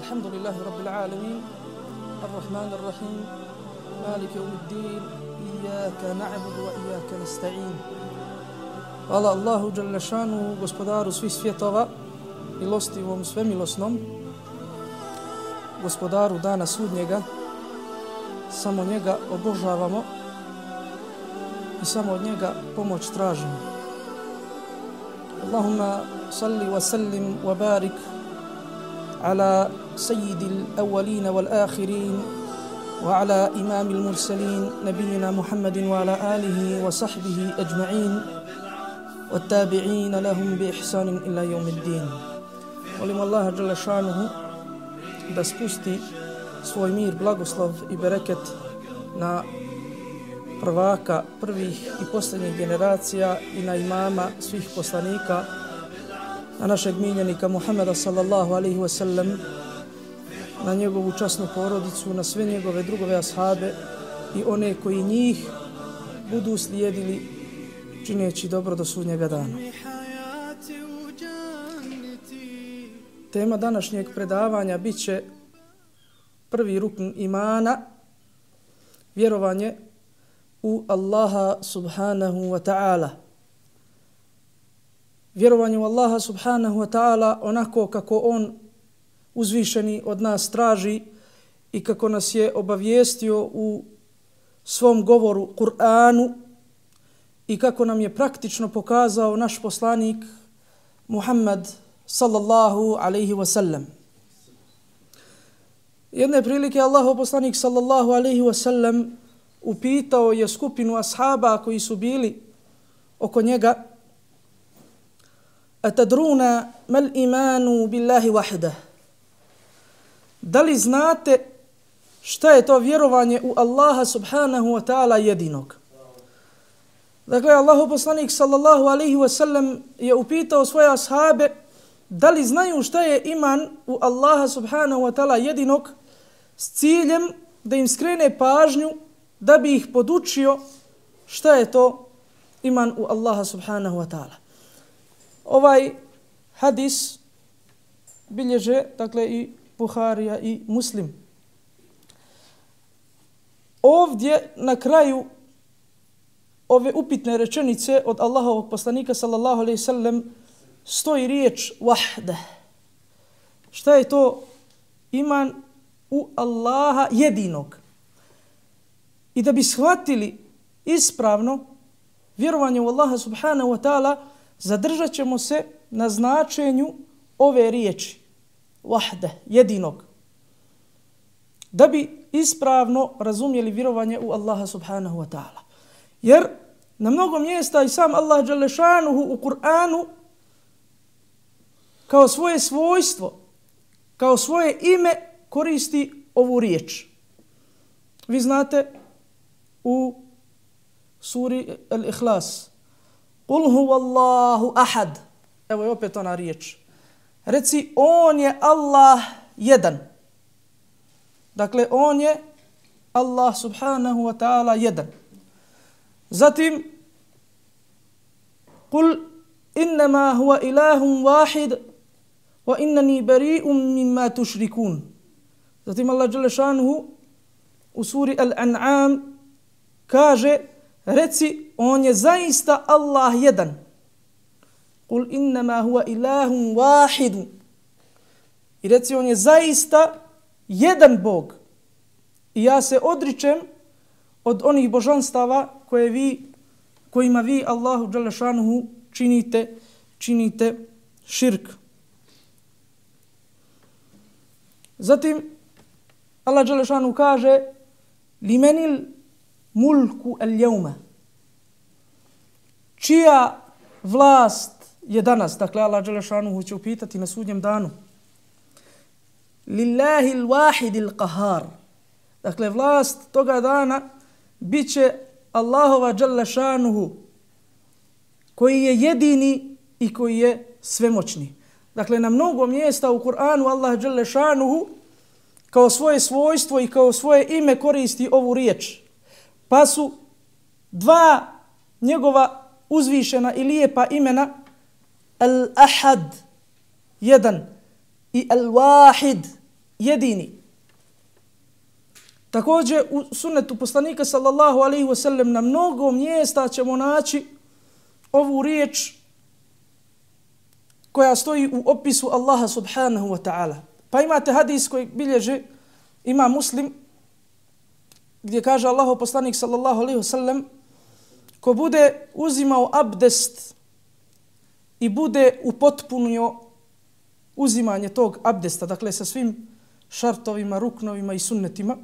الحمد لله رب العالمين الرحمن الرحيم مالك يوم الدين إياك نعبد وإياك نستعين. Hvala Allahu dželle šanuhu, gospodaru svih svjetova, milostivom, svemilosnom, gospodaru dana sudnjega. Samo njega obožavamo i samo od njega pomoć tražimo. Allahumma salli wa sallim wa barik ala sayyidil awwalin wal akhirin wa ala imamil mursalin nabiyina Muhammadin wa ala alihi wa sahbihi ajma'in والتابعين لهم بإحسان إلى يوم الدين. Molim Allaha dželle šanuhu da spusti svoj mir, blagoslov i bereket na prvaka prvih i posljednjih generacija i na imama svih poslanika, na našeg miljenika Muhammeda sallallahu alaihi wa sallam, na njegovu časnu porodicu, na sve njegove drugove ashabe i one koji njih budu slijedili čineći dobro do sudnjega dana. Tema današnjeg predavanja bit će prvi rukn imana, vjerovanje u Allaha subhanahu wa ta'ala. Vjerovanje u Allaha subhanahu wa ta'ala onako kako on uzvišeni od nas traži i kako nas je obavijestio u svom govoru Kur'anu i kako nam je praktično pokazao naš poslanik Muhammad sallallahu alaihi wa sallam. Jedne prilike Allahov poslanik sallallahu alaihi wa sallam upitao je skupinu ashaba koji su bili oko njega: Atadruna mal imanu billahi wahdah? Da li znate šta je to vjerovanje u Allaha subhanahu wa ta'ala jedinog? Dakle, Allahov poslanik sallallahu alaihi wa sallam je upitao svoje ashabe da li znaju šta je iman u Allaha subhanahu wa ta'ala jedinog, s ciljem da im skrene pažnju da bi ih podučio šta je to iman u Allaha subhanahu wa ta'ala. Ovaj hadis bilježe, dakle, i Buharija i Muslim. Ovdje na kraju ove upitne rečenice od Allahovog poslanika sallallahu alejhi ve sellem stoji riječ wahdah. Šta je to iman u Allaha jedinog? I da bi shvatili ispravno vjerovanje u Allaha subhanahu wa ta'ala, zadržat ćemo se na značenju ove riječi wahdah, jedinog, da bi ispravno razumjeli vjerovanje u Allaha subhanahu wa ta'ala. Jer na mnogo mjesta i sam Allah dželle šanuhu u Kur'anu kao svoje svojstvo, kao svoje ime koristi ovu riječ. Vi znate u suri Al-Ikhlas: Qul huvallahu ahad. Evo je opet ona riječ. Reci, on je Allah jedan. Dakle, on je Allah subhanahu wa ta'ala jedan. Zatim, Qul innama huwa ilahun wahid wa innani bari'un mimma tushrikun. Zatim Allah dželle šanuhu u suri Al-An'am kaže: reci, on je zaista Allah jedan. Qul innama huwa ilahun wahid. I reci, on je zaista jedan Bog. I ja se odričem od onih božanstava kojima vi Allahu dželle šanuhu činite širk. Zatim Allah dželle šanuhu kaže: limenil mulku al-yawma. Čija vlast je danas? Dakle, Allah dželle šanuhu će upitati na sudnjem danu. Lillahi al-wahid al-qahar. Dakle, vlast toga dana biće Allahova dželle šanuhu, koji je jedini i koji je svemoćni. Dakle, na mnogo mjesta u Kur'anu Allah dželle šanuhu kao svoje svojstvo i kao svoje ime koristi ovu riječ. Pa su dva njegova uzvišena i lijepa imena Al-Ahad, jedan, i Al-Wahid, jedini. Također u sunnetu poslanika sallallahu alejhi ve sellem na mnogo mjesta ćemo naći ovu riječ koja stoji u opisu Allaha subhanahu wa ta'ala. Pa imate hadis koji bilježi ima Muslim gdje kaže Allahov poslanik sallallahu alejhi ve sellem ko bude uzimao abdest i bude upotpunio uzimanje tog abdesta, dakle sa svim šartovima, ruknovima i sunnetima,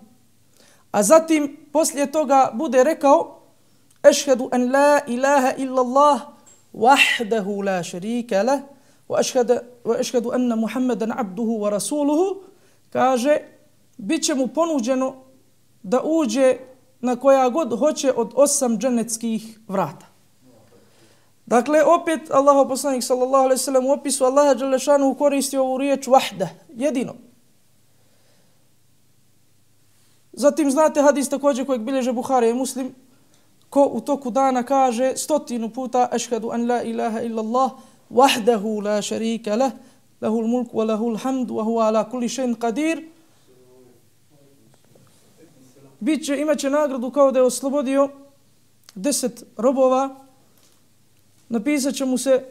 a zatim poslije toga bude rekao Ešhedu an la ilaha illallah wahdahu la šarika lah wa ešhedu anna Muhammadan abduhu wa rasuluhu, kaže, bit će mu ponuđeno da uđe na koja god hoće od 8 dženecskih vrata. Dakle, opet Allahov poslanik sallallahu alejhi ve sellem u opisu Allaha dželle šanuhu koristi ovu riječ wahda, jedino. Zatim znate hadis također kojeg bilježe Buharija i Muslim, ko u toku dana kaže 100 puta ešhedu an la ilaha illallah wahdahu la šarika lah, lahul mulk wa lahul hamd wa huwa ala kulli shay'in qadir, imaće nagradu kao da je oslobodio 10 robova, napisat će mu se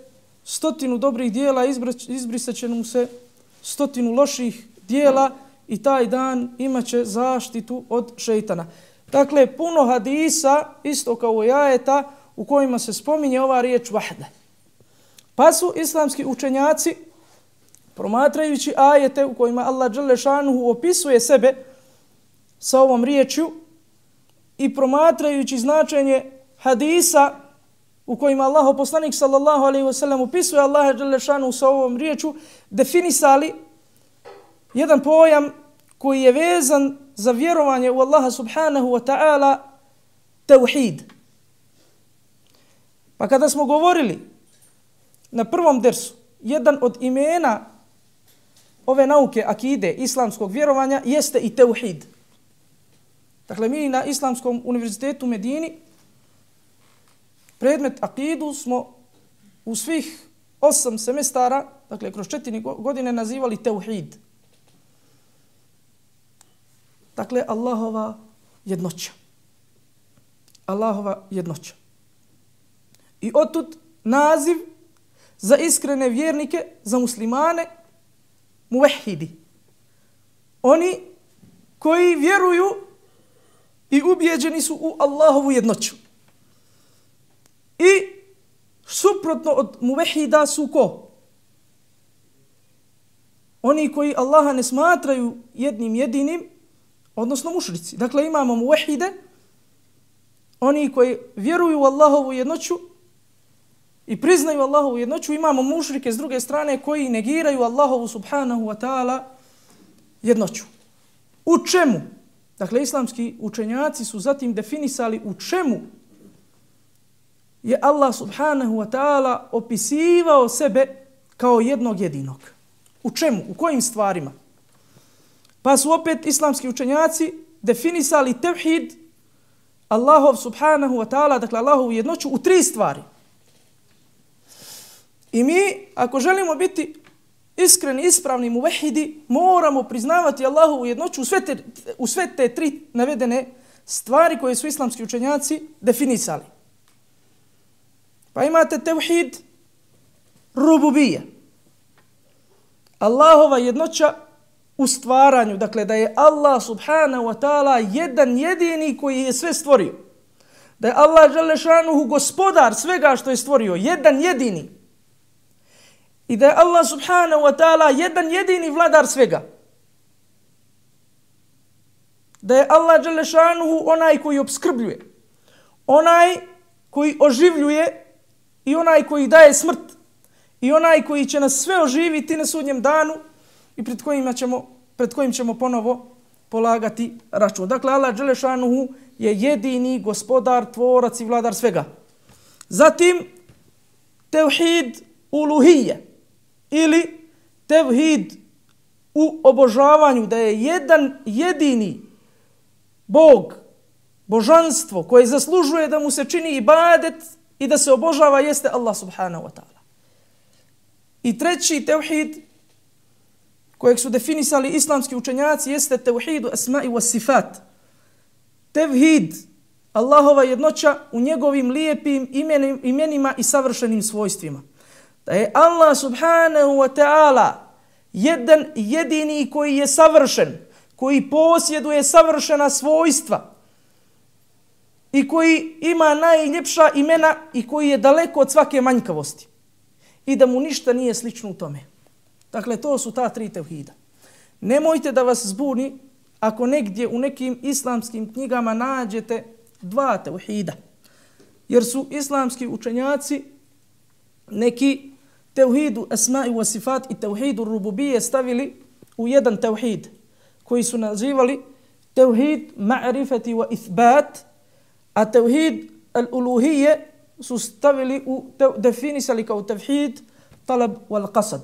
100 dobrih dijela, izbrisat će mu se 100 loših dijela i taj dan imaće zaštitu od šejtana. Dakle, puno hadisa, isto kao i ajeta, u kojima se spominje ova riječ vahda. Pa su islamski učenjaci, promatrajući ajete u kojima Allah dželle šanuhu opisuje sebe sa ovom riječju i promatrajući značenje hadisa u kojima Allahov poslanik sallallahu alejhi ve sellem opisuje Allaha dželle šanuhu sa ovom riječju, definisali jedan pojam koji je vezan za vjerovanje u Allaha subhanahu wa ta'ala, tauhid. Pa kada smo govorili na prvom dersu, jedan od imena ove nauke akide islamskog vjerovanja jeste i tauhid. Dakle, mi na Islamskom univerzitetu u Medini predmet akidu smo u svih 8 semestara, dakle kroz 4 godine, nazivali tauhid. Dakle, Allahova jednoća. Allahova jednoća. I otud naziv za iskrene vjernike, za muslimane, muvehidi. Oni koji vjeruju i ubijeđeni su u Allahovu jednoću. I suprotno od muvehida su ko? Oni koji Allaha ne smatraju jednim jedinim, odnosno mušrici. Dakle, imamo muvehide, oni koji vjeruju u Allahovu jednoću i priznaju Allahovu jednoću, imamo mušrike s druge strane koji negiraju Allahovu subhanahu wa ta'ala jednoću. U čemu? Dakle, islamski učenjaci su zatim definisali u čemu je Allah subhanahu wa ta'ala opisivao sebe kao jednog jedinog. U čemu? U kojim stvarima? Pa su opet islamski učenjaci definisali tevhid, Allahov subhanahu wa ta'ala, dakle Allahovu jednoću, u 3 stvari. I mi, ako želimo biti iskreni, ispravni muvehidi, moramo priznavati Allahovu jednoću u sve te 3 navedene stvari koje su islamski učenjaci definisali. Pa imate tevhid rububije. Allahova jednoća u stvaranju, dakle da je Allah subhanahu wa ta'ala jedan jedini koji je sve stvorio. Da je Allah dželle šanuhu gospodar svega što je stvorio, jedan jedini. I da je Allah subhanahu wa ta'ala jedan jedini vladar svega. Da je Allah dželle šanuhu onaj koji opskrbljuje, onaj koji oživljuje i onaj koji daje smrt i onaj koji će nas sve oživiti na sudnjem danu i pred kojim ćemo ponovo polagati račun. Dakle, Allah dželle šanuhu je jedini gospodar, tvorac i vladar svega. Zatim, tevhid uluhije ili tevhid u obožavanju, da je jedan jedini Bog, božanstvo koje zaslužuje da mu se čini ibadet i da se obožava jeste Allah subhanahu wa ta'ala. I treći tevhid kojeg su definisali islamski učenjaci jeste tevhidu asma'i was sifat. Tevhid, Allahova jednoća u njegovim lijepim imenima i savršenim svojstvima. Da je Allah subhanahu wa ta'ala jedan jedini koji je savršen, koji posjeduje savršena svojstva i koji ima najljepša imena i koji je daleko od svake manjkavosti i da mu ništa nije slično u tome. Dakle, to su ta 3 tevhida. Nemojte da vas zbuni ako negdje u nekim islamskim knjigama nađete 2 tevhida, jer su islamski učenjaci neki tevhidu asma'i wa sifat i tevhidu rububije stavili u jedan tevhid koji su nazivali tevhid ma'rifati wa ithbat, a tevhid al-uluhije su stavili definisali kao tevhid talab wal qasad.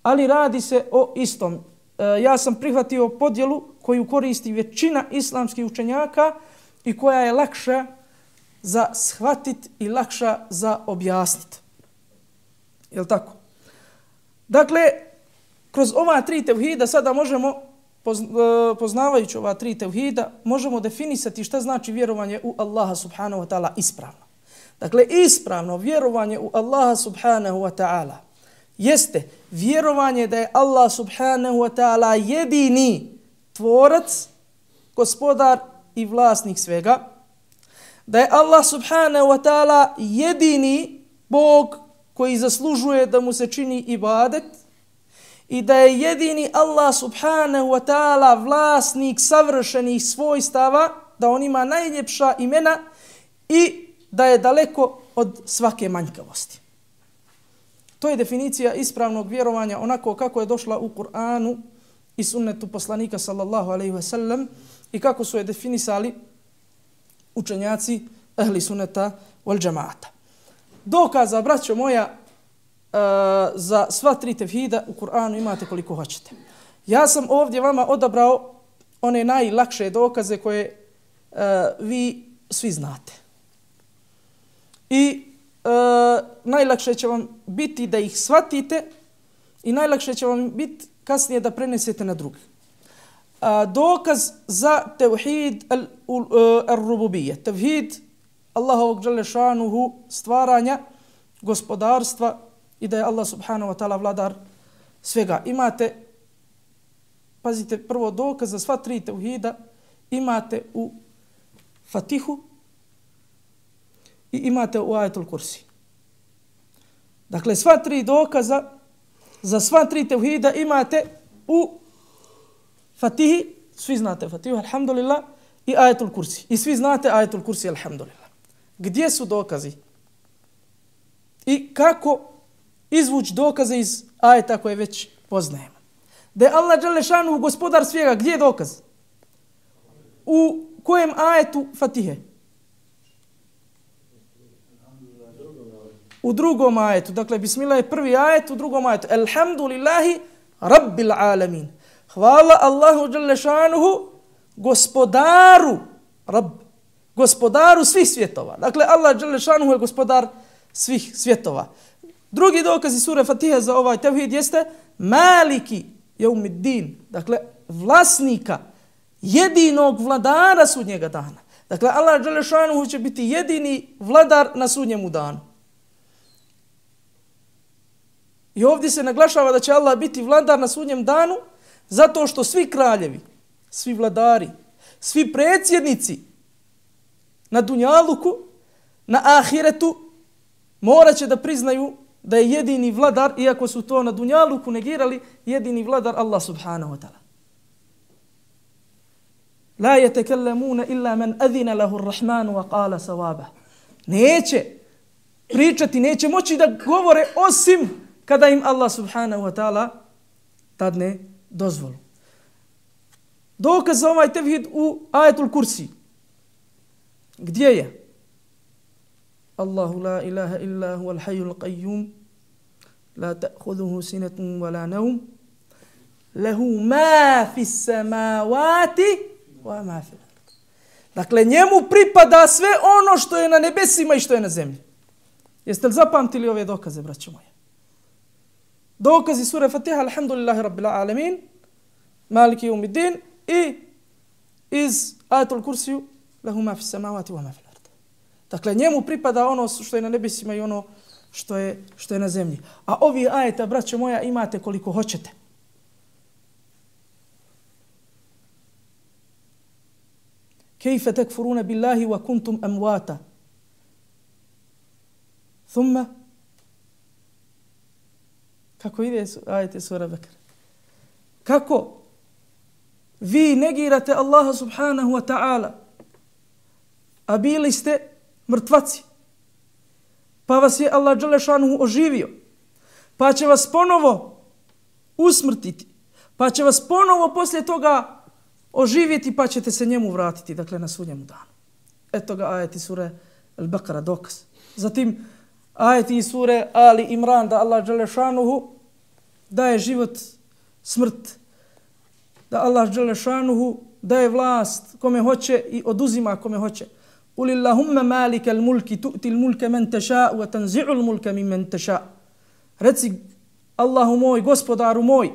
Ali radi se o istom. Ja sam prihvatio podjelu koju koristi većina islamskih učenjaka i koja je lakša za shvatit i lakša za objasnit. Jel' tako? Dakle, kroz ova 3 tevhida sada možemo, poznavajući ova 3 tevhida, možemo definisati šta znači vjerovanje u Allaha subhanahu wa ta'ala ispravno. Dakle, ispravno vjerovanje u Allaha subhanahu wa ta'ala jeste vjerovanje da je Allah subhanahu wa ta'ala jedini tvorac, gospodar i vlasnik svega, da je Allah subhanahu wa ta'ala jedini Bog koji zaslužuje da mu se čini ibadet i da je jedini Allah subhanahu wa ta'ala vlasnik savršenih svojstava, da on ima najljepša imena i da je daleko od svake manjkavosti. To je definicija ispravnog vjerovanja onako kako je došla u Kur'anu i sunnetu poslanika sallallahu alejhi ve sellem i kako su je definisali učenjaci ehli sunneta wal džemaata. Dokaza, braćo moja, za sva 3 tevhida u Kur'anu imate koliko hoćete. Ja sam ovdje vama odabrao one najlakše dokaze koje vi svi znate. I najlakše će vam biti da ih shvatite i najlakše će vam biti kasnije da prenesete na druge. Dokaz za tevhid al-rububije, tevhid Allahovog dželle šanuhu stvaranja, gospodarstva i da je Allah subhanahu wa ta'ala vladar svega. Imate, pazite, prvo dokaz za sva 3 tevhida imate u Fatihu i imate u Ajetul Kursi. Dakle, sva 3 dokaza za sva 3 tevhida imate u Fatihi, svi znate Fatihu, alhamdulillah, i Ajetul Kursi. I svi znate Ajetul Kursi, alhamdulillah. Gdje su dokazi? I kako izvući dokaze iz ajeta koje već poznajemo? Da je Allah dželle šanuhu gospodar svega, gdje je dokaz? U kojem ajetu Fatihe? U drugom ajetu. Dakle, bismillah je prvi ajet, u drugom ajetu. Alhamdulillahi rabbil alamin. Hvala Allahu dželle šanuhu gospodaru, Rabb, gospodaru svih svjetova. Dakle, Allah dželle šanuhu je gospodar svih svjetova. Drugi dokaz iz sure Fatiha za ovaj tevhid jeste Maliki jeumiddin, dakle vlasnika, jedinog vladara sudnjega dana. Dakle, Allah dželle šanuhu će biti jedini vladar na sudnjemu danu. I ovdje se naglašava da će Allah biti vladar na sudnjem danu zato što svi kraljevi, svi vladari, svi predsjednici na dunjaluku, na ahiretu morat će da priznaju da je jedini vladar, iako su to na dunjaluku negirali, jedini vladar Allah subhanahu wa ta'ala. La yatakallamuna illa man adhina lahu ar-rahmanu wa qala sawaba. Neće pričati, neće moći da govore osim kada im Allah subhanahu wa ta'ala dadne dozvolu. Dokaz za ovaj tevhid u Ajetul Kursi. Gdje je? Allahu la ilaha illa huwal hayyul qayyum la ta'khudhuhu sinatun wa la nawm lahu ma fis samawati wa ma fil ard. Dakle, njemu pripada sve ono što je na nebesima i što je na zemlji. Jeste li zapamtili ove dokaze, braćo moje? dokazi sure Fatiha, alhamdulillahi rabbil alamin, maliki yawmiddin, i iz ajatul kursiju, lahu ma fis samavati wa ma fil ard. Dakle, njemu pripada ono što je na nebesima i ono što je na zemlji. A ovi ajeta, braćo moja, imate koliko hoćete. Kejfe tekfurune billahi wa kuntum amwata. Thumma, kako ide ajete sura Bekr? Kako vi negirate Allaha subhanahu wa ta'ala, a bili ste mrtvaci, pa vas je Allah dželešanu oživio, pa će vas ponovo usmrtiti, pa će vas ponovo poslije toga oživjeti, pa ćete se njemu vratiti, dakle na sudnjem danu. Eto ga ajeti sure Al-Baqara, dokaz. Zatim ajeti sure Ali Imran, da Allah dželešanuhu daje život, smrt, da Allah dželešanuhu daje vlast kome hoće i oduzima kome hoće. Ulillahumma malikal mulki tu'til mulka man tasha wa tanzi'ul mulka mimman tasha. Reci Allahu moj, gospodaru moj,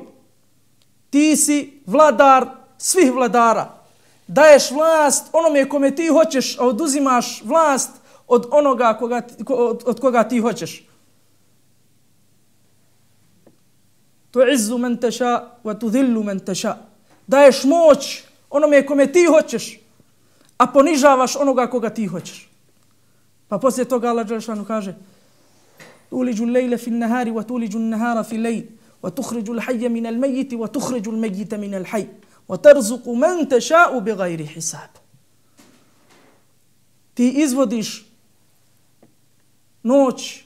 ti si vladar svih vladara. Daješ vlast onome kome ti hoćeš, a oduzimaš vlast od onoga od koga ti hoćeš. Tu'izzu man tasha wa tudhillu man tasha. Daješ moć onome kome ti hoćeš, a ponižavaš onoga koga ti hoćeš. Pa poslije toga Allah dželešanu kaže: Tuliđu lejle fin nahari wa tuliđu nahara fi lejl wa tukhriđu l'hajja min al-mejiti wa tukhriđu l'mejita min al-haj wa tarzuku man teša'u bi gajri hisab. Ti izvodiš noć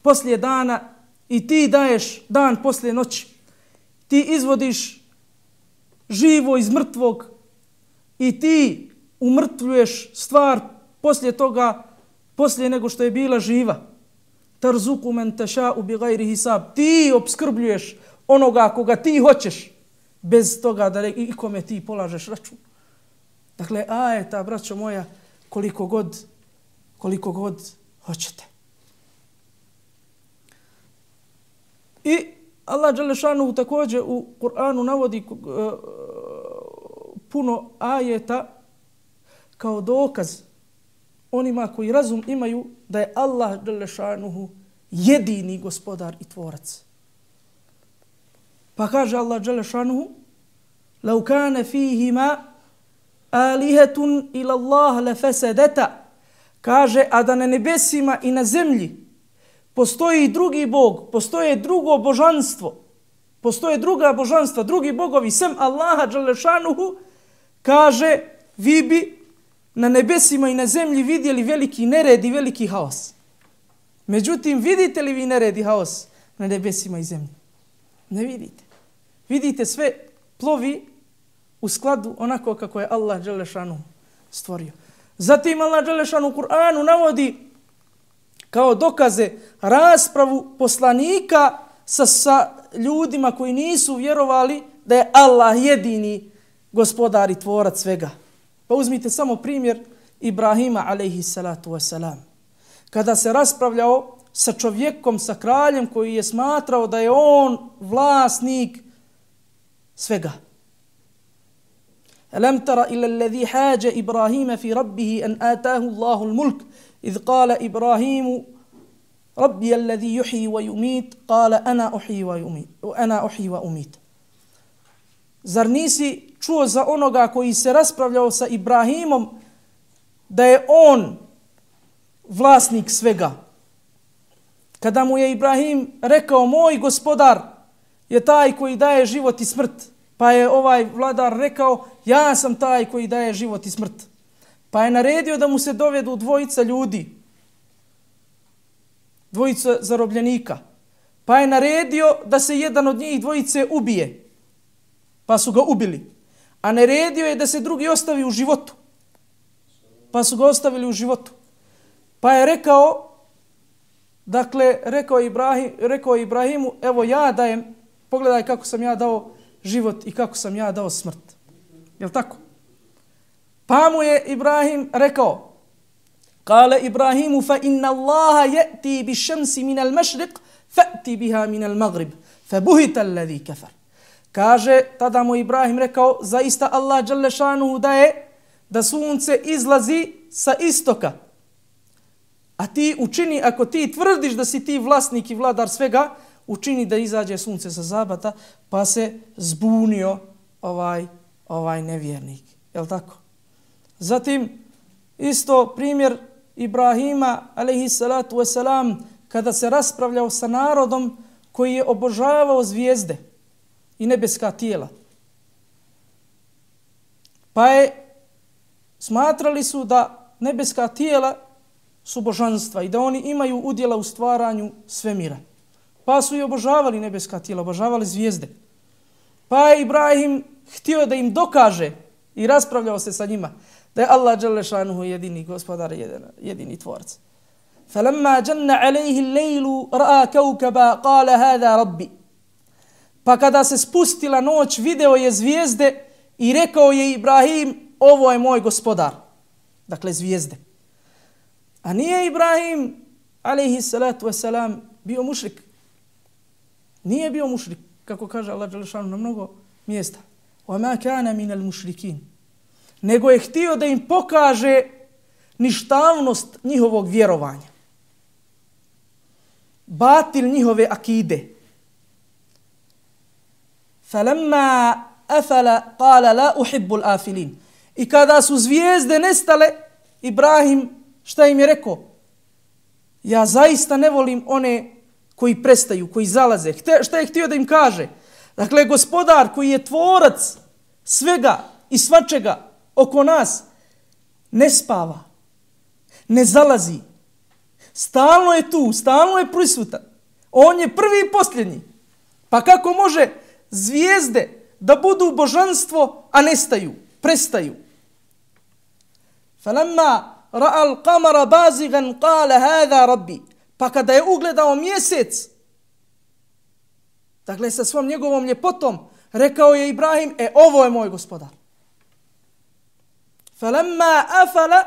poslije dana i ti daješ dan poslije noći. Ti izvodiš živo iz mrtvog i ti umrtvljuješ stvar poslije toga, poslije nego što je bila živa. Tarzuku men teša'u bi gajri hisab. Ti obskrbljuješ onoga koga ti hoćeš, bez toga da ikome ti polažeš račun. Dakle, ajeta, braćo moja, koliko god hoćete. I Allah dželešanu također u Kur'anu navodi puno ajeta kao dokaz onima koji razum imaju da je Allah dželešanu jedini gospodar i tvorac. Pa kaže Allah dželešanu: "Lau kana fihima alihatun ila Allah la fasadata." Kaže, a da na nebesima i na zemlji postoji drugi bog, postoje drugo božanstvo, postoje druga božanstva, drugi bogovi sem Allaha dželešanuhu, kaže, vi bi na nebesima i na zemlji vidjeli veliki nered i veliki haos. Međutim, vidite li vi nered i haos na nebesima i zemlji? Ne vidite. Vidite, sve plovi u skladu onako kako je Allah dželešanuhu stvorio. Zatim Allah dželešanu u Kur'anu navodi kao dokaze raspravu poslanika sa ljudima koji nisu vjerovali da je Allah jedini gospodar i tvorac svega. Pa uzmite samo primjer Ibrahima alejhi salatu wasalam. Kada se raspravljao sa čovjekom, sa kraljem koji je smatrao da je on vlasnik svega. ألم تر إلى الذي حاج إبراهيم في ربه أن آتاه الله الملك إذ قال إبراهيم ربي الذي يحيي ويميت قال أنا أحيي وأميت. Zar nisi čuo za onoga koji se raspravljao sa Ibrahimom da je on vlasnik svega? Kada mu je Ibrahim rekao: moj gospodar je taj koji daje život i smrt. Pa je ovaj vladar rekao: ja sam taj koji daje život i smrt. Pa je naredio da mu se dovedu dvojica ljudi, dvojica zarobljenika. Pa je naredio da se jedan od njih dvojice ubije. Pa su ga ubili. A naredio je da se drugi ostavi u životu. Pa su ga ostavili u životu. Pa je rekao, dakle, rekao Ibrahimu: evo ja dajem, pogledaj kako sam ja dao život i kako sam ja dao smrt. Jel tako? Pa mu je Ibrahim rekao: Kale Ibrahimu fa inna Allaha ya'ti bi šamsi min al mašriq fa'ti biha min al-maghrib fabuhita alladhi kafar. Kaže, tada mu Ibrahim rekao, zaista Allah dželle šanuhu daje da sunce izlazi sa istoka. A ti učini, ako ti tvrdiš da si ti vlasnik i vladar svega, učini da izađe sunce sa zapada, pa se zbunio ovaj nevjernik. Jel tako? Zatim, isto primjer Ibrahima, alejhi salatu wasalam, kada se raspravljao sa narodom koji je obožavao zvijezde i nebeska tijela. Pa smatrali su da nebeska tijela su božanstva i da oni imaju udjela u stvaranju svemira. Pa su i obožavali nebeska tijela, obožavali zvijezde. Pa je Ibrahim htio da im dokaže i raspravljao se sa njima da je Allah dželle šanuhu jedini gospodar, jedini tvorac. فَلَمَّا جَنَّ عَلَيْهِ اللَّيْلُ رَأَى كَوْكَبًا قَالَ هَذَا رَبِّي. Pa kada se spustila noć, video je zvijezde i rekao je Ibrahim, ovo je moj gospodar. Dakle, zvijezde. A nije Ibrahim, alejhi salatu wasalam, bio mušrik. Nije bio mušrik, kako kaže Allah dželle šanuhu na mnogo mjesta. وَمَا كَانَ مِنَ الْمُشْرِكِينَ. Nego je htio da im pokaže ništavnost njihovog vjerovanja. Batil njihove akide. فَلَمَّا أَفَلَ قَالَ لَا أُحِبُّ الْآفِلِينَ. I kada su zvijezde nestale, Ibrahim šta im je rekao? Ja zaista ne volim one koji prestaju, koji zalaze. Šta je htio da im kaže? Dakle, gospodar koji je tvorac svega i svačega oko nas, ne spava, ne zalazi. Stalno je tu, stalno je prisutan. On je prvi i posljednji. Pa kako može zvijezde da budu božanstvo, a nestaju, prestaju? فَلَمَّا رَأَى الْقَمَرَ بَازِغًا قَالَ هَذَا رَبِّي. Pa kada je ugledao mjesec, dakle sa svom njegovom ljepotom, rekao je Ibrahim, ovo je moj gospodar. فَلَمَّا أَفَلَ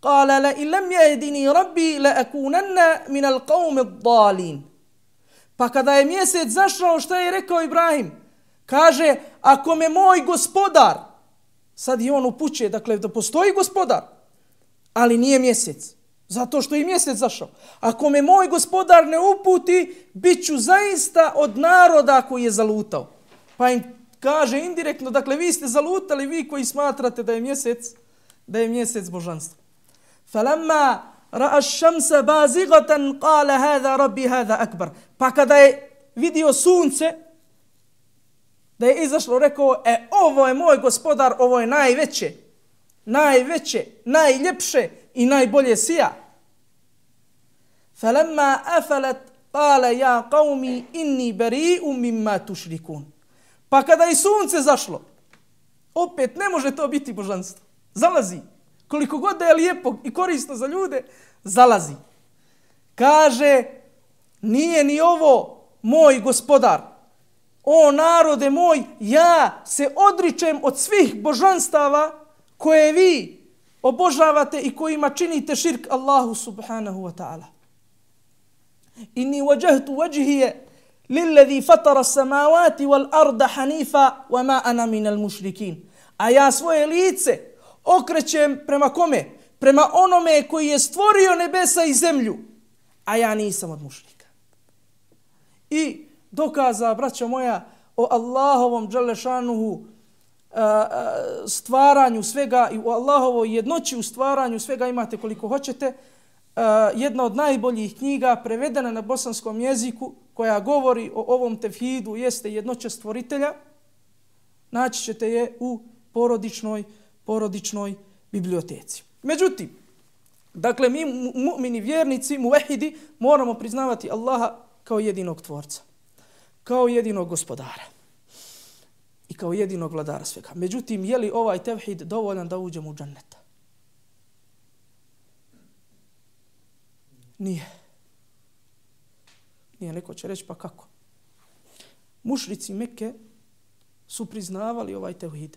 قَالَ لَئِنْ لَمْ يَهْدِنِي رَبِّي لَأَكُونَنَّ مِنَ الْقَوْمِ الضَّالِينَ. Pa kada je mjesec zašao, šta je rekao Ibrahim? Kaže, ako me moj gospodar, sad i on upućuje, dakle da postoji gospodar, ali nije mjesec, zato što i mjesec zašao. Ako me moj gospodar ne uputi, bit ću zaista od naroda koji je zalutao. Pa im kaže indirektno, dakle vi ste zalutali, vi koji smatrate da je mjesec božanstvo. فَلَمَّا رَأَى الشَّمْسَ بَازِغَةً قَالَ هَذَا رَبِّي هَذَا أَكْبَرُ. Pa kada je vidio sunce, da je izašlo, rekao, ovo je moj gospodar, ovo je najveće, najljepše i najbolje sija. فَلَمَّا أَفَلَتْ قَالَ يَا قَوْمِ إِنِّي بَرِيءٌ مِمَّا تُشْرِكُونَ. Pa kada i sunce zašlo, opet ne može to biti božanstvo. Zalazi. Koliko god da je lijepo i korisno za ljude, zalazi. Kaže, nije ni ovo moj gospodar. O narode moj, ja se odričem od svih božanstava koje vi obožavate i kojima činite širk Allahu subhanahu wa ta'ala. Inni wajahtu wajhiya lilladhi fatara as-samawati wal arda hanifa wa ma ana min al-mushrikin. A ja svoje lice okrećem prema kome? Prema onome koji je stvorio nebesa i zemlju, a ja nisam od mušrika. I dokaza, braćo moja, o Allahovom dželle šanuhu stvaranju svega i u Allahovoj jednoći u stvaranju svega imate koliko hoćete. Jedna od najboljih knjiga prevedena na bosanskom jeziku koja govori o ovom tevhidu jeste Jednoća stvoritelja. Naći ćete je u porodičnoj biblioteci. Međutim, dakle mi mu'mini vjernici, muvehidi, moramo priznavati Allaha kao jedinog tvorca, kao jedinog gospodara i kao jedinog vladara svega. Međutim, je li ovaj tevhid dovoljan da uđemo u džennet? Nije. Neko će reći, pa kako? Mušrici Mekke su priznavali ovaj tevhid.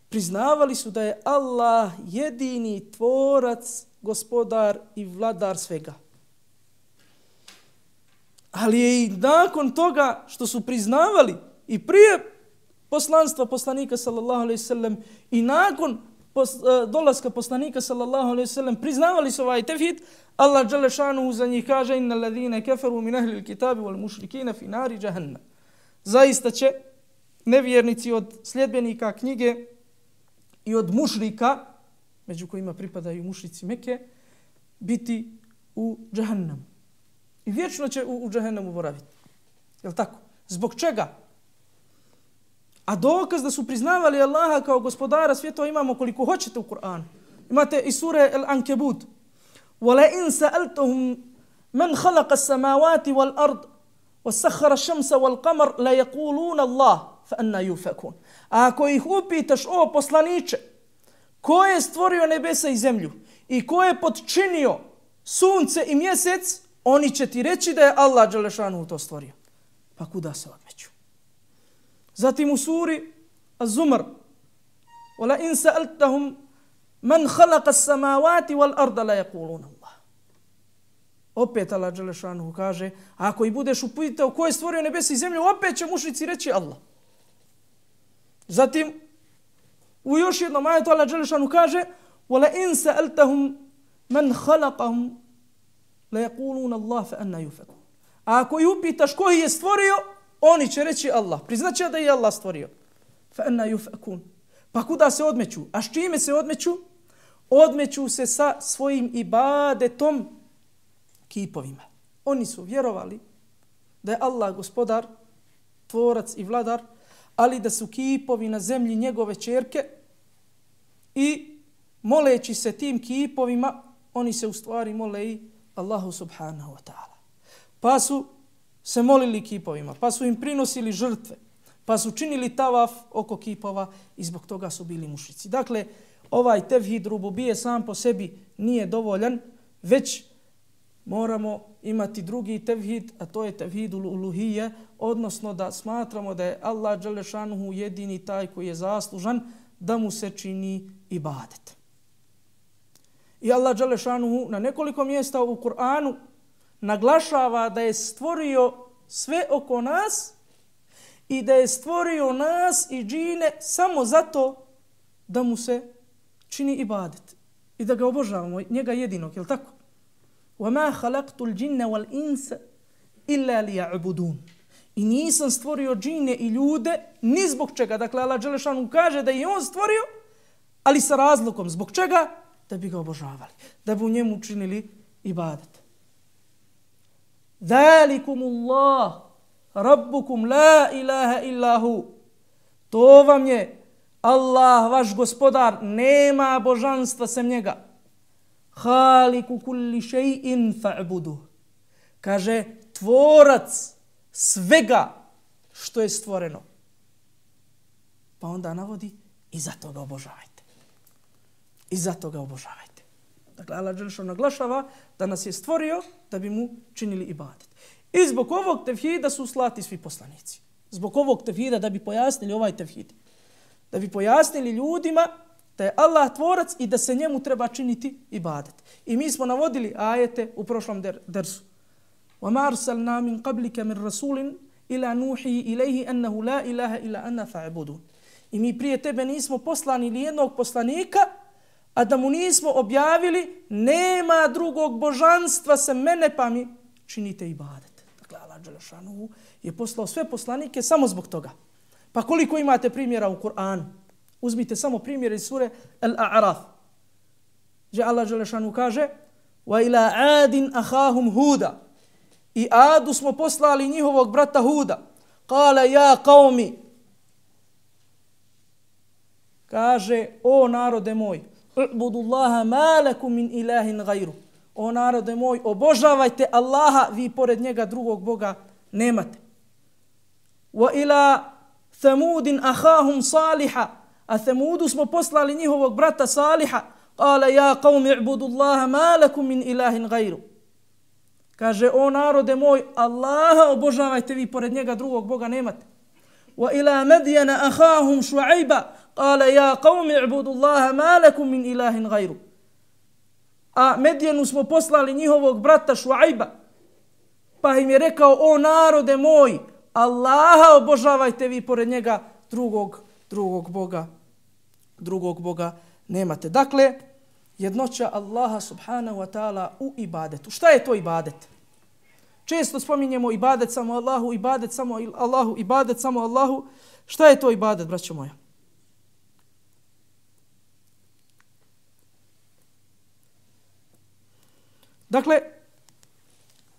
Priznavali su da je Allah jedini tvorac, gospodar i vladar svega. Ali je i nakon toga što su priznavali i prije poslanstva poslanika sallallahu alejhi ve sellem i nakon dolaska poslanika sallallahu alejhi ve sellem priznavali su ovaj tevhid, Allah dželle šanuhu za njih kaže innal ladine kafaru min ahli alkitabi wal mushrikina fi nari jahannam. Zaista će nevjernici od sljedbenika knjige i od mušrika, među kojima pripadaju mušrici Mekke, biti u džehennem. I vječno će u džehennemu boraviti. Jel tako? Zbog čega? A dokaz da su priznavali Allaha kao gospodara svjetova imamo koliko hoćete u Kur'anu. Imate i sure Al-Ankebut. وَلَئِنْ سَأَلْتُهُمْ مَنْ خَلَقَ السَّمَاوَاتِ وَالْأَرْضِ وَسَخَّرَ الشَّمْسَ وَالْقَمَرَ لَيَقُولُونَ اللَّهُ فَأَنَّا يُؤْفَكُونَ. A ako ih upitaš, o poslaniče, ko je stvorio nebesa i zemlju i ko je potčinio sunce i mjesec, oni će ti reći da je Allah dželle šanuhu to stvorio. Pa kuda se odmeću? Zatim u suri Az-Zumar وَلَئِنْ سَأَلْتَهُمْ مَنْ خَلَقَ السَّمَاوَاتِ وَالْأَرْضَ لَيَقُولُونَ اللَّهُ. Opet Allah dželle šanuhu kaže, ako i budeš upitao ko je stvorio nebesa i zemlju, opet će mušrici reći Allah. Zatim u još jednom ajetu Allah dželle šanuhu kaže وَلَئِنْ سَأَلْتَهُمْ مَنْ خَلَقَهُمْ لَيَقُولُونَ اللَّهُ فَأَنَّا يُؤْفَكُونَ. A ako i upitaš ko je stvorio, oni će reći Allah. Priznaće da je Allah stvorio. فَأَنَّا يُؤْفَكُونَ. Pa kuda se odmeću? A s čime se odmeću? Odmeću se sa svojim ibadetom kipovima. Oni su vjerovali da je Allah gospodar, tvorac i vladar, ali da su kipovi na zemlji njegove ćerke i moleći se tim kipovima, oni se u stvari mole i Allahu subhanahu wa ta'ala. Pa su se molili kipovima, pa su im prinosili žrtve, pa su činili tavaf oko kipova i zbog toga su bili mušrici. Dakle, ovaj tevhid rububije sam po sebi nije dovoljan, već moramo imati drugi tevhid, a to je tevhidul uluhije, odnosno da smatramo da je Allah dželle šanuhu jedini taj koji je zaslužan da mu se čini ibadet. I Allah dželle šanuhu na nekoliko mjesta u Kur'anu naglašava da je stvorio sve oko nas i da je stvorio nas i džine samo zato da mu se čini ibadet i da ga obožavamo, njega jedinog, je li tako? وَمَا خَلَقْتُ الْجِنَّ وَالْإِنسَ إِلَّا لِيَعْبُدُونَ. I nisam stvorio džine i ljude ni zbog čega. Dakle, Allah dželle šanuhu kaže da je on stvorio, ali sa razlogom. Zbog čega? Da bi ga obožavali. Da bi u njemu činili ibadet. ذَلِكُمُ اللَّهُ رَبُّكُمْ لَا إِلَهَ إِلَّا هُ. To vam je Allah, vaš gospodar, nema božanstva sem njega. Haliku kulli še'in fa'budu. Kaže, tvorac svega što je stvoreno. Pa onda navodi i zato ga obožavajte. I zato ga obožavajte. Dakle, Allah dželle šanuhu naglašava da nas je stvorio da bi mu činili ibadet. I zbog ovog tevhida su slati svi poslanici. Zbog ovog tevhida da bi pojasnili ovaj tevhid. Da bi pojasnili ljudima da je Allah tvorac i da se njemu treba činiti ibadet. I mi smo navodili ajete u prošlom dersu. وَمَا أَرْسَلْنَا مِنْ قَبْلِكَ مِنْ رَسُولٍ إِلَا نُوحِي إِلَيْهِ أَنَّهُ لَا إِلَهَ إِلَّا أَنَّا فَاعْبُدُونَ. I mi prije tebe nismo poslani ni jednog poslanika, a da mu nismo objavili nema drugog božanstva sem mene, pa mi činite ibadet. Dakle, Allah dželle šanuhu je poslao sve poslanike samo zbog toga. Pa koliko imate primjera u Kur'anu? Uzmite samo primjer iz sure Al-A'raf. Gdje Allah dželle šanuhu kaže وَإِلَىٰ عَادٍ أَخَاهُمْ هُودًا. I Adu smo poslali njihovog brata Huda. Kale ja qaumi. Kaže, o narode moj, u'budullaha ma lakum min ilahin gajru. O narode moj, obožavajte Allaha, vi pored njega drugog Boga nemate. Wa ila Thamudin ahahum Saliha. A Thamudu smo poslali njihovog brata Saliha. Kale ja qaumi u'budullaha ma lakum min ilahin gajru. Kaže, o narode moj, Allaha obožavajte, vi pored njega drugog Boga nemate. Wa ila Madjana ahahum Shu'aiba. Kale ja qaumi u'budullaha ma lakum min ilahin gajru. A Medjenu smo poslali njihovog brata Shu'aiba. pa im je rekao, o narode moj, Allaha obožavajte vi pored njega, drugog Boga nemate. Dakle, jednoća Allaha subhanahu wa ta'ala u ibadetu. Šta je to ibadet? Često spominjemo ibadet samo Allahu, ibadet samo Allahu, ibadet samo Allahu. Šta je to ibadet, braćo moja? Dakle,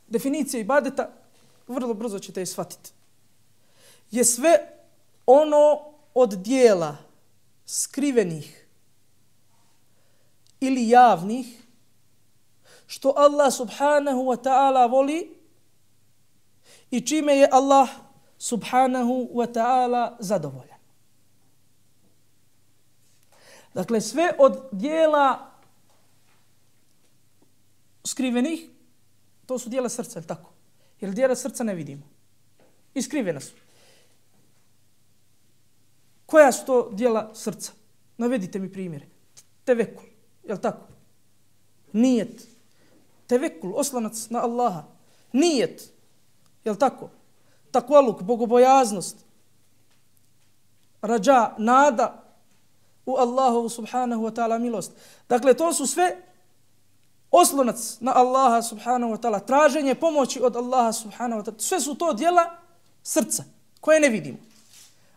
definicija ibadeta, vrlo brzo ćete je shvatiti, je sve ono od dijela skrivenih ili javnih što Allah subhanahu wa ta'ala voli i čime je Allah subhanahu wa ta'ala zadovoljan. Dakle, sve od dijela skrivenih, to su dijela srca, je li tako? Jer dijela srca ne vidimo. I skrivena su. Koja su to dijela srca? Navedite mi primjere. Tevekul, je li tako? Nijet. Tevekul, oslanac na Allaha. Nijet, je li tako? Takvaluk, bogobojaznost. Rađa, nada u Allahovu subhanahu wa ta'ala milost. Dakle, to su sve oslonac na Allaha subhanahu wa ta'ala, traženje pomoći od Allaha subhanahu wa ta'ala. Sve su to dijela srca koje ne vidimo.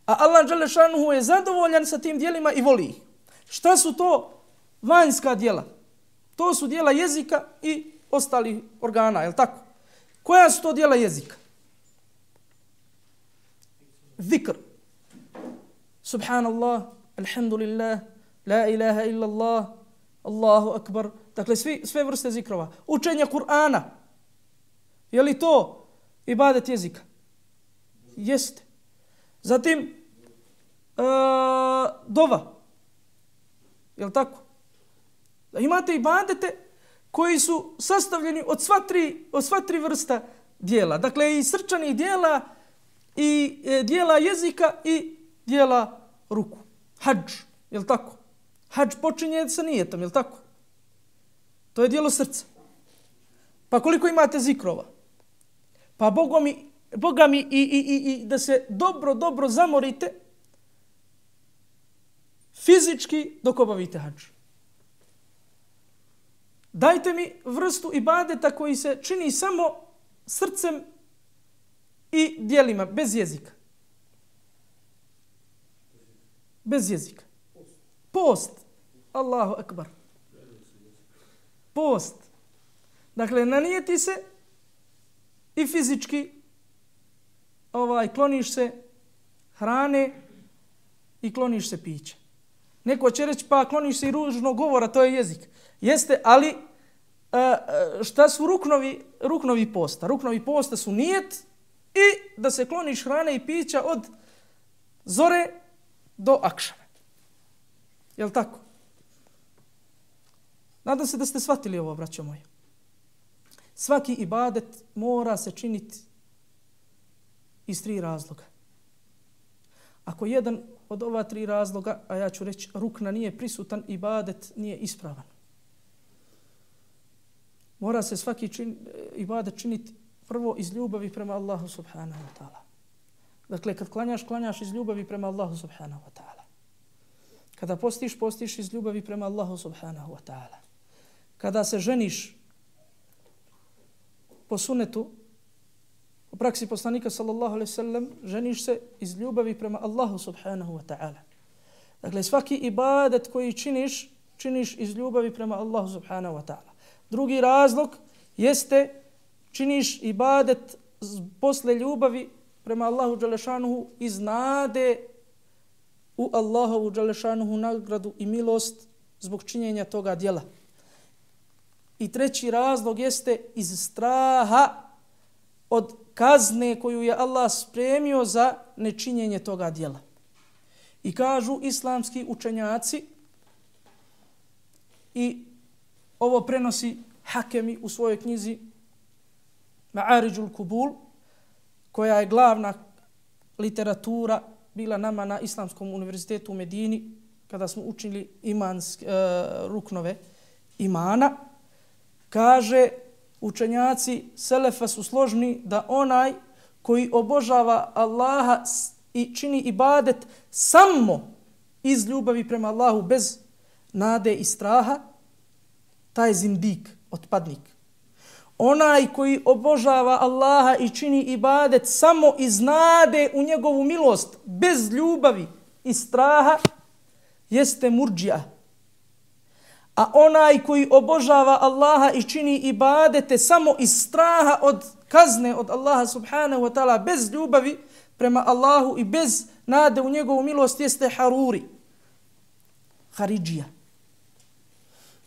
A Allah dželle šanuhu je zadovoljan sa tim dijelima i voli ih. Šta su to vanjska dijela? To su dijela jezika i ostalih organa, je li tako? Koja su to dijela jezika? Zikr. Subhanallah, alhamdulillah, la ilaha illallah, Allahu akbar. Dakle, sve vrste zikrova. Učenje Kur'ana. Je li to ibadet jezika? Jeste. Zatim, dova. Je li tako? Imate ibadete koji su sastavljeni od sva tri vrsta dijela. Dakle, i srčanih dijela, i dijela jezika, i dijela ruku. Hadž. Je li tako? Hadž počinje sa nijetom, je li tako? To je dijelo srca. Pa koliko imate zikrova? Pa Boga mi i da se dobro zamorite fizički dok obavite hadž. Dajte mi vrstu ibadeta koji se čini samo srcem i dijelima, bez jezika. Bez jezika. Post. Allahu akbar. Post. Dakle, nanijeti se i fizički kloniš se hrane i kloniš se pića. Neko će reći, pa kloniš se i ružnog govora, to je jezik. Jeste, ali šta su ruknovi posta? Ruknovi posta su nijet i da se kloniš hrane i pića od zore do akšama. Je li tako? Nadam se da ste shvatili ovo, braćo moji. Svaki ibadet mora se činiti iz 3 razloga. Ako jedan od ova 3 razloga, a ja ću reći rukna nije prisutan, ibadet nije ispravan. Mora se svaki ibadet činiti prvo iz ljubavi prema Allahu subhanahu wa ta'ala. Dakle, kad klanjaš iz ljubavi prema Allahu subhanahu wa ta'ala. Kada postiš iz ljubavi prema Allahu subhanahu wa ta'ala. Kada se ženiš po sunetu, u praksi poslanika sallallahu alejhi ve sellem, ženiš se iz ljubavi prema Allahu subhanahu wa ta'ala. Dakle, svaki ibadet koji činiš iz ljubavi prema Allahu subhanahu wa ta'ala. Drugi razlog jeste činiš ibadet posle ljubavi prema Allahu dželle šanuhu iz nade u Allahovu dželle šanuhu nagradu i milost zbog činjenja toga djela. I treći razlog jeste iz straha od kazne koju je Allah spremio za nečinjenje toga djela. I kažu islamski učenjaci, i ovo prenosi Hakemi u svojoj knjizi Ma'aridžul Kubul, koja je glavna literatura bila nama na Islamskom univerzitetu u Medini, kada smo učili ruknove imana, kaže učenjaci selefa su složni da onaj koji obožava Allaha i čini ibadet samo iz ljubavi prema Allahu bez nade i straha, taj je zindik, otpadnik. Onaj koji obožava Allaha i čini ibadet samo iz nade u njegovu milost, bez ljubavi i straha, jeste murdžija. A onaj koji obožava Allaha i čini ibadete samo iz straha od kazne od Allaha subhanahu wa ta'ala, bez ljubavi prema Allahu i bez nade u njegovu milost, jeste haruri, haridžija.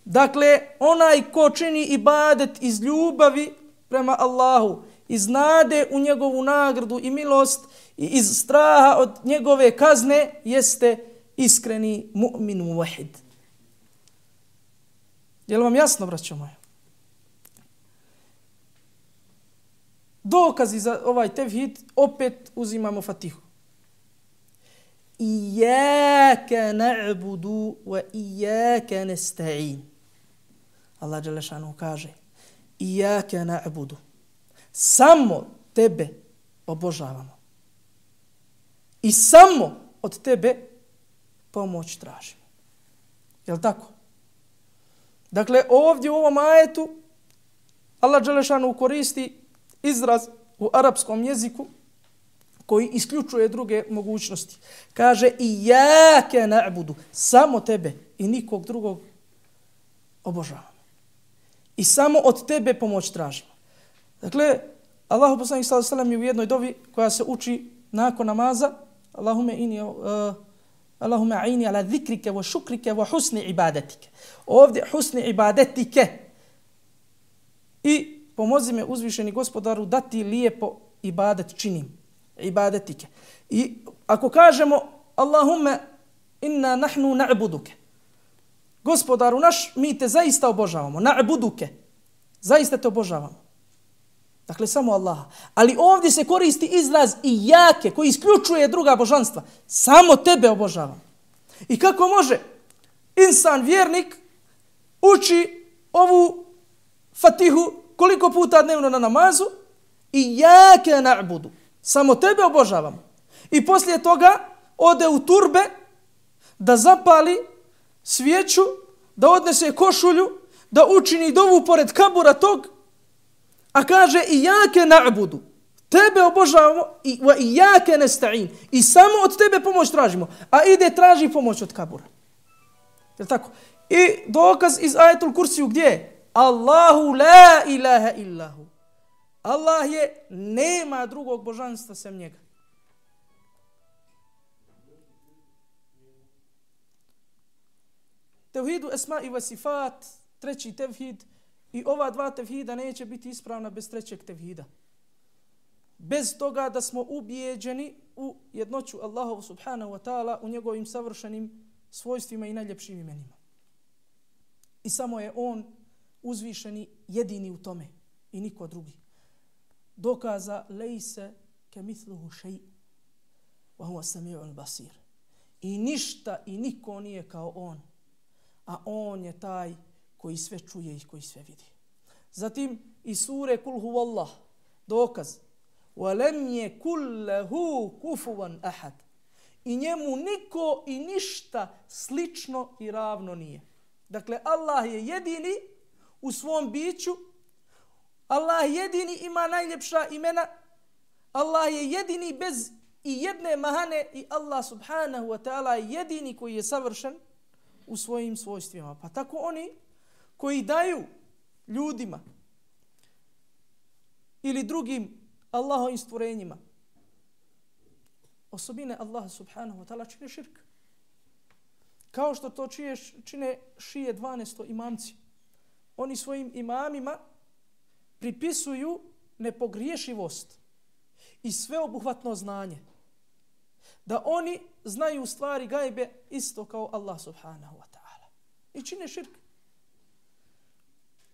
Dakle, onaj ko čini ibadet iz ljubavi prema Allahu, iz nade u njegovu nagradu i milost i iz straha od njegove kazne, jeste iskreni mu'min muvahid. Je li vam jasno, braćo moje? Dokazi za ovaj tevhid, opet uzimamo Fatihu. Iyaka na'budu wa iyaka nasta'in. Allah dželle šanuhu kaže: Iyaka na'budu. Samo tebe obožavamo. I samo od tebe pomoć tražimo. Je li tako? Dakle, ovdje u ovom ajetu Allah dželle šanuhu koristi izraz u arapskom jeziku koji isključuje druge mogućnosti. Kaže iyaka na'budu, samo tebe i nikog drugog obožavamo. I samo od tebe pomoć tražimo. Dakle, Allahu poslanik sallallahu alejhi ve sellem je u jednoj dovi koja se uči nakon namaza, Allahumma a'ini ala zikrike wa šukrike wa husni ibadetike. Ovdje husni ibadetike. I pomozi me uzvišeni gospodaru da ti lijepo ibadet činim. Ibadetike. I ako kažemo Allahumma inna nahnu na'buduke. Gospodaru naš, mi te zaista obožavamo. Na'buduke. Zaista te obožavamo. Dakle, samo Allaha. Ali ovdje se koristi izraz iyake koji isključuje druga božanstva. Samo tebe obožavam. I kako može insan, vjernik, uči ovu Fatihu koliko puta dnevno na namazu? Iyake na'budu. Samo tebe obožavam. I poslije toga ode u turbe da zapali svijeću, da odnese košulju, da učini dovu pored kabura tog, a kaže iyake na'budu. Tebe obožavamo i wa iyake nasta'in. I samo od tebe pomoć tražimo. A ide traži pomoć od kabura. Je li tako? I dokaz iz ajetul kursiju gdje je? Allahu la ilaha illahu. Allah je, nema drugog božanstva sem njega. Tevhidu esma i vasifat, treći tevhid, i ova dva tevhida neće biti ispravna bez trećeg tevhida. Bez toga da smo ubijeđeni u jednoću Allahu subhanahu wa ta'ala, u njegovim savršenim svojstvima i najljepšim imenima. I samo je on uzvišeni jedini u tome i niko drugi. Dokaza lejse kemithluhu šej wa huwa sami'ul basir. I ništa i niko nije kao on, a on je taj koji sve čuje i koji sve vidi. Zatim i sure Kul huvallah, dokaz وَلَمْ يَكُلْ لَهُ كُفُوًا أَحَدٍ. I njemu niko i ništa slično i ravno nije. Dakle, Allah je jedini u svom biću, Allah jedini ima najljepša imena, Allah je jedini bez i jedne mahane i Allah subhanahu wa ta'ala je jedini koji je savršen u svojim svojstvima. Pa tako oni koji daju ljudima ili drugim Allahovim stvorenjima osobine Allaha subhanahu wa ta'ala čine širk. Kao što to čine šije 12 imamci. Oni svojim imamima pripisuju nepogriješivost i sveobuhvatno znanje. Da oni znaju stvari gajbe isto kao Allah subhanahu wa ta'ala. I čine širk.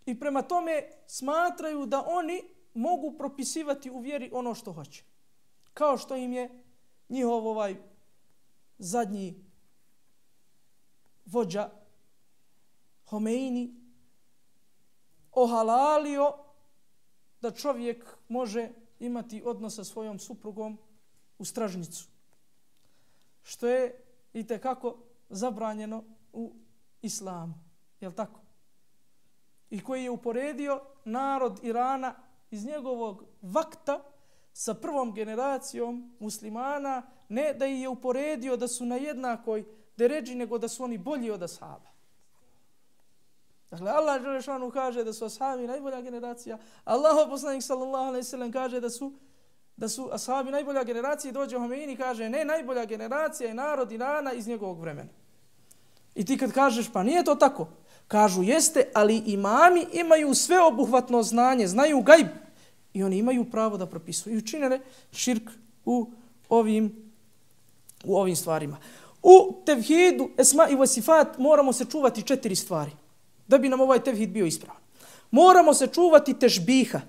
I prema tome smatraju da oni mogu propisivati u vjeri ono što hoće. Kao što im je njihov zadnji vođa Homeini ohalalio da čovjek može imati odnos sa svojom suprugom u stražnicu, što je itekako zabranjeno u islamu, jel tako? I koji je uporedio narod Irana iz njegovog vakta sa prvom generacijom muslimana, ne da ih je uporedio da su na jednakoj deređi, nego da su oni bolji od ashaba. Dakle, Allah dželešanu kaže da su ashabi najbolja generacija, Allahov poslanik sallallahu alejhi ve sellem kaže da su ashabi najbolja generacija, i dođe Homeini kaže ne, najbolja generacija je narod Irana iz njegovog vremena. I ti kad kažeš pa nije to tako, kažu jeste, ali imami imaju sveobuhvatno znanje, znaju gajb i oni imaju pravo da propisuju i čine širk u ovim stvarima. U tevhidu esma i vasifat moramo se čuvati 4 stvari da bi nam ovaj tevhid bio ispravan. Moramo se čuvati tešbiha,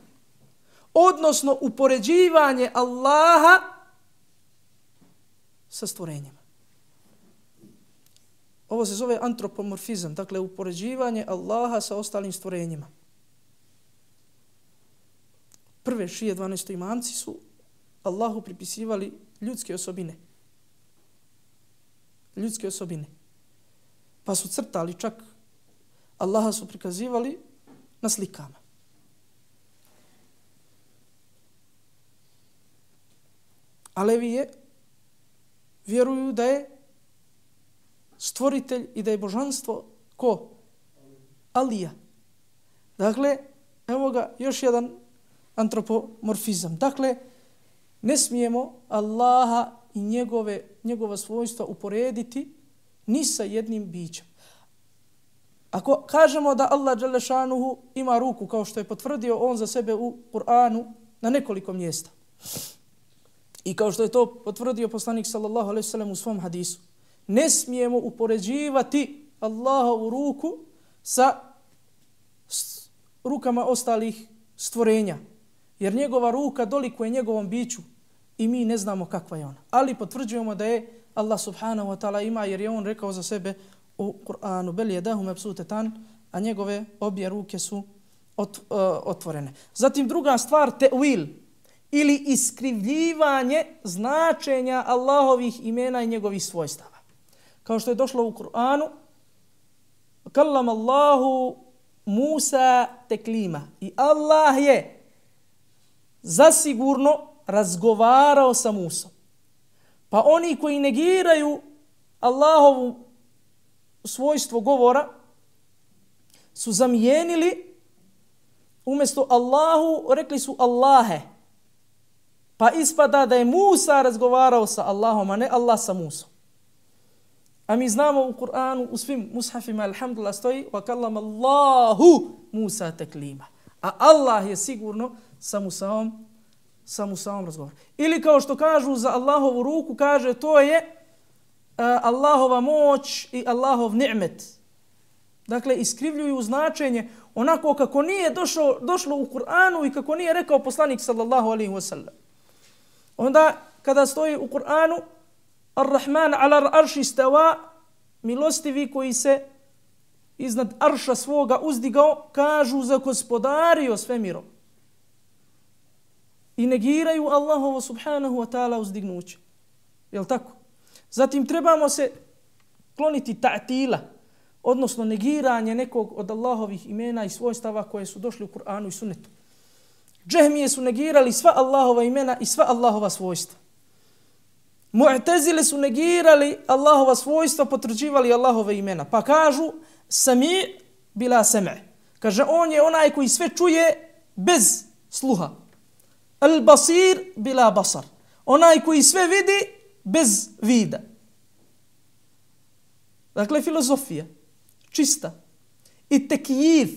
odnosno upoređivanje Allaha sa stvorenjima. Ovo se zove antropomorfizam, dakle upoređivanje Allaha sa ostalim stvorenjima. Prve šije 12. imamci su Allahu pripisivali ljudske osobine. Ljudske osobine. Pa su crtali, čak Allaha su prikazivali na slikama. Alevije vjeruju da je stvoritelj i da je božanstvo ko? Alija. Dakle, evo ga još jedan antropomorfizam. Dakle, ne smijemo Allaha i njegova svojstva uporediti ni sa jednim bićem. Ako kažemo da Allah dželle šanuhu ima ruku, kao što je potvrdio on za sebe u Kur'anu na nekoliko mjesta, i kao što je to potvrdio poslanik sallallahu alejhi ve sellem u svom hadisu, ne smijemo upoređivati Allahovu ruku sa rukama ostalih stvorenja, jer njegova ruka dolikuje njegovom biću i mi ne znamo kakva je ona. Ali potvrđujemo da je Allah subhanahu wa ta'ala ima, jer je on rekao za sebe u Kur'anu bel jedahu mebsutetan, a njegove obje ruke su otvorene. Zatim druga stvar, te'wil, ili iskrivljivanje značenja Allahovih imena i njegovih svojstava. Kao što je došlo u Kur'anu, kallam Allahu Musa teklima. I Allah je zasigurno razgovarao sa Musom. Pa oni koji negiraju Allahovu svojstvo govora su zamijenili umjesto Allahu, rekli su Allahe. Pa ispada da je Musa razgovarao sa Allahom, a ne Allah sa Musom. A mi znamo u Kur'anu, u svim mushafima, alhamdulillah, stoji وَكَلَّمَ اللَّهُ Musa teklima. A Allah je sigurno sa Musaom razgovor. Ili kao što kažu za Allahovu ruku, kaže to je Allahova moć i Allahov ni'met. Dakle, iskrivljuju značenje onako kako nije došlo u Kur'anu i kako nije rekao poslanik sallallahu alaihi wa sallam. Onda kada stoji u Kur'anu Ar-Rahman ala arši stava, milostivi koji se iznad arša svoga uzdigao, kažu za gospodario svemirom. I negiraju Allahovo subhanahu wa ta'ala uzdignuće. Jel' tako? Zatim trebamo se kloniti ta'tila, odnosno negiranje nekog od Allahovih imena i svojstava koje su došli u Kur'anu i sunnetu. Džehmije su negirali sva Allahova imena i sva Allahova svojstva. Mu'tezile su negirali Allahova svojstva, potvrđivali Allahove imena. Pa kažu sami' bila seme. Kaže on je onaj koji sve čuje bez sluha. Al-basir bila basar. Onaj koji sve vidi bez vida. Dakle, filozofija čista. I tekijif,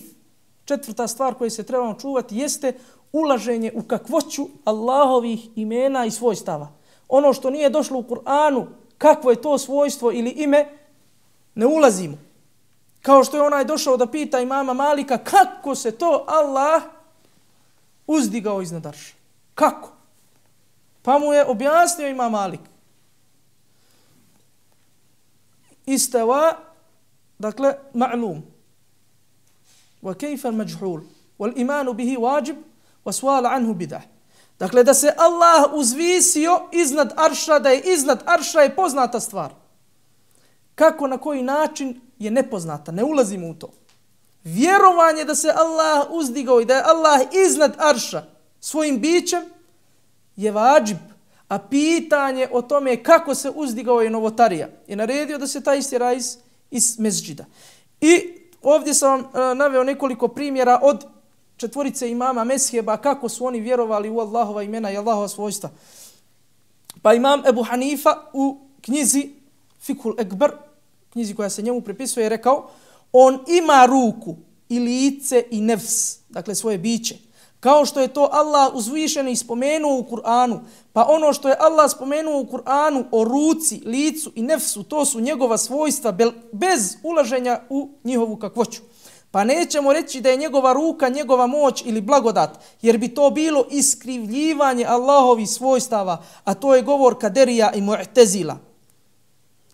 četvrta stvar koju se trebamo čuvati, jeste ulaženje u kakvoću Allahovih imena i svojstava. Ono što nije došlo u Kur'anu, kakvo je to svojstvo ili ime, ne ulazimo. Kao što je onaj došao da pita imama Malika kako se to Allah uzdigao iznad arša. Kako? Pa mu je objasnio imam Malik. Istava, dakle, ma'lum. Wa kejfa al-majhul. Wal imanu bihi wajib. وَسْوَالَ عَنْهُ بِدَعْ. Dakle, da se Allah uzvisio iznad arša, da je iznad arša je poznata stvar. Kako, na koji način je nepoznata, ne ulazimo u to. Vjerovanje da se Allah uzdigao i da je Allah iznad arša svojim bićem je vađib, a pitanje o tome kako se uzdigao je novotarija. I naredio da se taj istjera iz mezđida. I ovdje sam vam naveo nekoliko primjera od četvorice imama mezheba kako su oni vjerovali u Allahova imena i Allahova svojstva. Pa imam Ebu Hanifa u knjizi Fikhul Ekber, knjizi koja se njemu pripisuje, je rekao on ima ruku i lice i nefs, dakle svoje biće. Kao što je to Allah uzvišeni spomenuo u Kur'anu, pa ono što je Allah spomenuo u Kur'anu o ruci, licu i nefsu, to su njegova svojstva bez ulaženja u njihovu kakvoću. Pa nećemo reći da je njegova ruka, njegova moć ili blagodat, jer bi to bilo iskrivljivanje Allahovih svojstava, a to je govor Kaderija i Mu'tezila.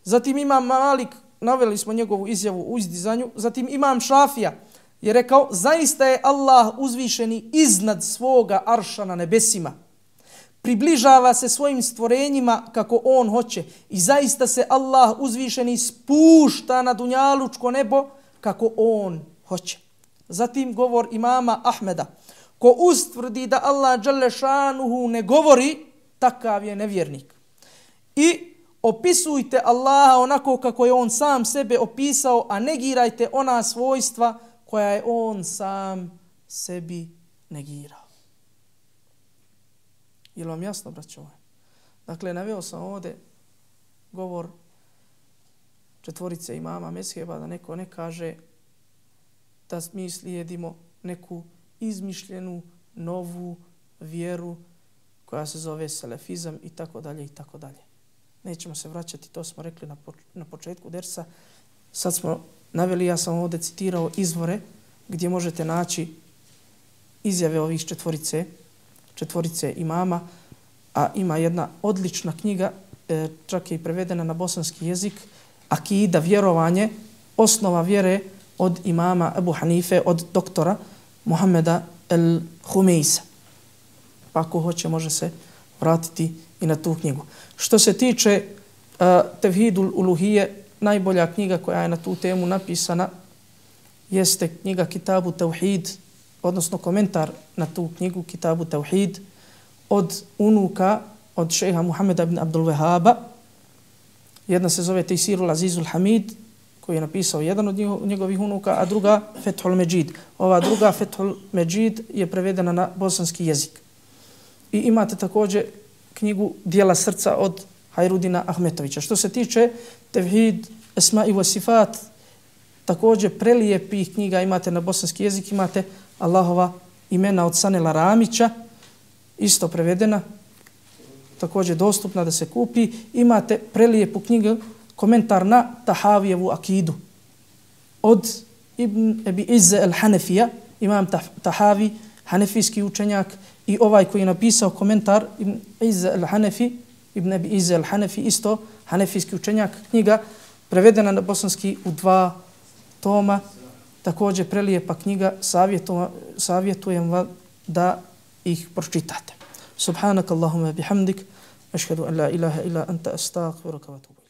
Zatim imam Malik, naveli smo njegovu izjavu u izdizanju, zatim imam Šafija je rekao, zaista je Allah uzvišeni iznad svoga arša na nebesima. Približava se svojim stvorenjima kako on hoće i zaista se Allah uzvišeni spušta na dunjalučko nebo kako on hoće. Zatim govor imama Ahmeda. Ko ustvrdi da Allah dželle šanuhu ne govori, takav je nevjernik. I opisujte Allaha onako kako je on sam sebe opisao, a negirajte ona svojstva koja je on sam sebi negirao. Je li vam jasno, braćo? Dakle, naveo sam ovdje govor četvorice imama mezheba da neko ne kaže da mi slijedimo neku izmišljenu novu vjeru koja se zove selefizam i tako dalje i tako dalje. Nećemo se vraćati, to smo rekli na početku dersa. Sad smo naveli, ja sam ovdje citirao izvore gdje možete naći izjave ovih četvorice imama, a ima jedna odlična knjiga, čak je i prevedena na bosanski jezik, Akida, vjerovanje, osnova vjere od imama Ebu Hanife, od doktora Muhammeda el-Humeisa. Pa ako hoće, može se vratiti i na tu knjigu. Što se tiče Tevhidul Uluhije, najbolja knjiga koja je na tu temu napisana jeste knjiga Kitabu Tevhid, odnosno komentar na tu knjigu Kitabu Tevhid od unuka, od šejha Muhameda ibn Abdul Wahaba. Jedna se zove Tejsirul Azizul Hamid, koji je napisao jedan od njegovih unuka, a druga Fethul Međid. Ova druga Fethul Međid je prevedena na bosanski jezik. I imate također knjigu Dijela srca od Hajrudina Ahmetovića. Što se tiče Tevhid, Esma i Vasifat, također prelijepih knjiga imate na bosanski jezik, imate Allahova imena od Sanela Ramića, isto prevedena, također dostupna da se kupi. Imate prelijepu knjigu, komentar na Tahavijevu akidu od Ibn Ebi Izze el-Hanefija, imam Tahavi, hanefijski učenjak, i ovaj koji je napisao komentar Ibn Izze el-Hanefi, Ibn Ebi Izze el-Hanefi, isto hanefijski učenjak, knjiga prevedena na bosanski u 2 toma, također prelijepa knjiga, savjetujem vam da ih pročitate. Subhanak Allahumma bihamdik, ašhadu an la ilaha illa anta astaghfiruka wa atubu.